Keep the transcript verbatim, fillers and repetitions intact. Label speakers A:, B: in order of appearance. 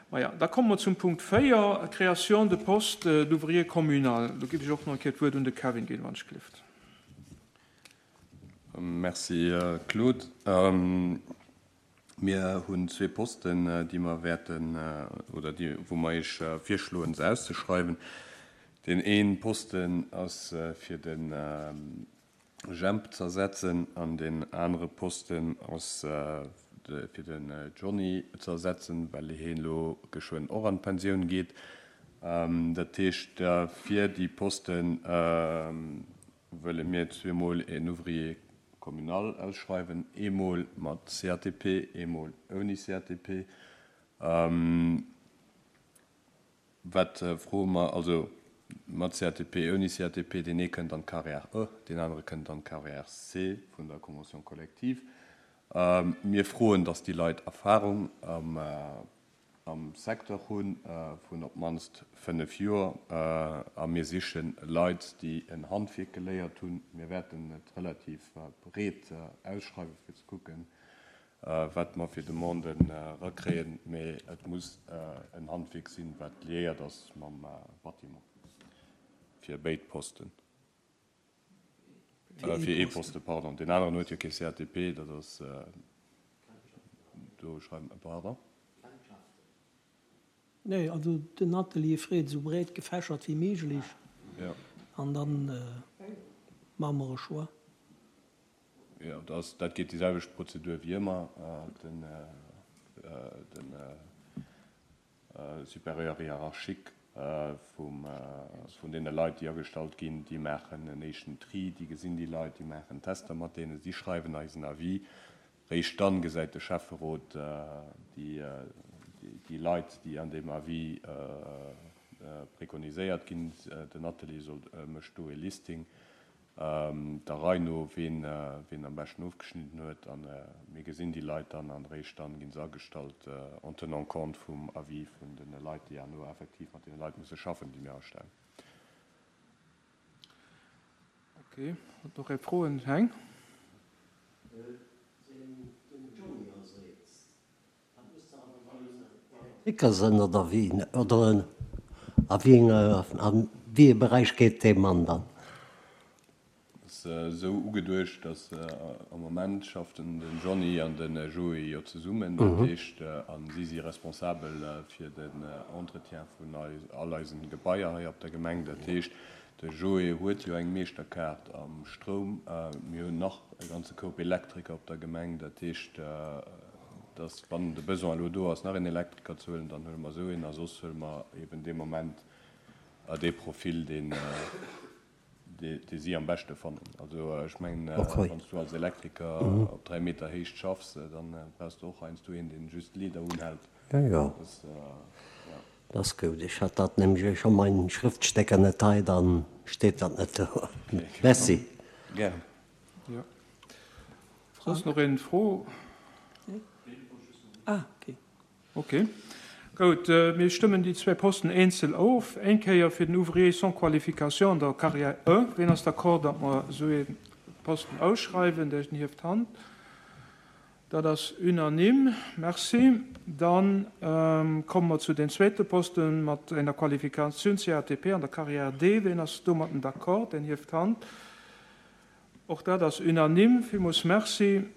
A: Maja, da komme mer zum Punkt véier, Création de poste d'ouvrier communal. Do géif ech och nach eng Kéier d'Wuert un de Kevin ginn, wann ech gelift.
B: Merci, Claude. Mir hunn zwee Posten, déi mer wäerten, oder déi, wou mer Iech virschloen, se auszeschreiwen. Deen ee Posten ass fir de Jemp ze ersetzen an deen anere Posten ass fir den Johnny ze ersetzen, well hien elo geschwënn och an d'Pensioun geet. Dat heescht, fir déi Poste wëlle mir zweemol en Ouvrier communal ausschreiwen, eemol mat C A T P, eemol ouni C A T P. Wat froe mer? Also mat C A T P, ouni C A T P, deen ee kënnt an d'Carrière E, deen anere kënnt an d'Carrière C vun der Convention collective. Mir froen, datt déi Leit Erfahrung am am Secteur hunn vun op d'mannst fënnef Joer a mir siche Leit, déi en Handwierk geléiert hunn. Mir wäerten et relativ breet ausschreiwen, fir ze kucken, wat mer fir Demanden erakréien, mee et muss en Handwierk sinn, wat liéiert ass mam Bâtiment fir béid Posten. Fir ee Poste, pardon. Deen aneren huet jo kee C A T P, dat ass do schreiwen, pardon.
C: Nee, also den Atelier freet esou breet gefächert wéi méiglech.
B: Ja.
C: An dann maache mer e Choix.
B: Jo, dat dat geet déi selwecht Prozedur wéi ëmmer. Den den Supérieur hiérarchique vum vun deene Leit, déi agestallt ginn, déi maachen en éischten Tri, déi gesinn déi Leit, déi maachen Tester mat deenen, si schreiwen eis en Avis. Réischt dann gesäit de Schäfferot déi déi Leit, déi an deem Avis prekoniséiert ginn. Den Atelier soll mécht do e Listing der Rei no, ween ween am beschten ofgeschnidden huet, a mir gesinn déi Leit dann an réischt dann ginn se agestallt en tenant compte vum Avis vun de Leit, déi herno effektiv mat deene Leit musse schaffen, déi mir astellen.
A: Ok, huet nach ee Froen? Heng?
D: Den Johnny ersetzt, dat muss dach awer dann Elektriker sinn, oder wéi? Oder a wéi a wéi ee Beräich geet dee Mann dann?
B: Ass esou ugeduecht, datt am Moment schafft den Johnny an de Joé jo zesummen, dat heescht, a si si responsabel fir den Entretien vun all eisen Gebaier hei op der Gemeng. Dat heescht, de Joé huet jo eng Meeschterkaart am Stroum. Mir hunn nach e ganze Koup Elektriker op der Gemeng. Dat heescht, datt wann de Besoin elo do ass, nach een Elektriker ze huelen, dann huele mer esou een a soss huele mer eben dee Moment dee Profil, deen dee si am beschte fannen. Also ech mengen, wann s du als Elektriker op dräi Meter Héicht schaffs, dann brauchs du och heiansdo een, deen just d'Leeder unhält.
D: Jo, jo. Dat ass gutt. Ech hat dat nämlech, ech hu mäin Schrëftstécker net hei, dann steet dat net do. Merci.
B: Gären.
A: Jo. Soss nach een Fro?
C: Ah, okay.
A: Ok. Goud, mir stëmmen déi zwee Posten eenzel of. Eng Kéier fir den Ouvrier sans qualification an der Carrière E. Wien ass d'accord, datt mer esou ee Posten ausschreiwen? Deen hieft d'Hand. Dat ass unanime. Merci. Dann komme mer zu den zweete Posten mat enger Qualifikatioun C A T P an der Carrière D. Wien ass domatten d'accord? Deen hieft d'Hand. Och dat ass unanime. Villmools merci.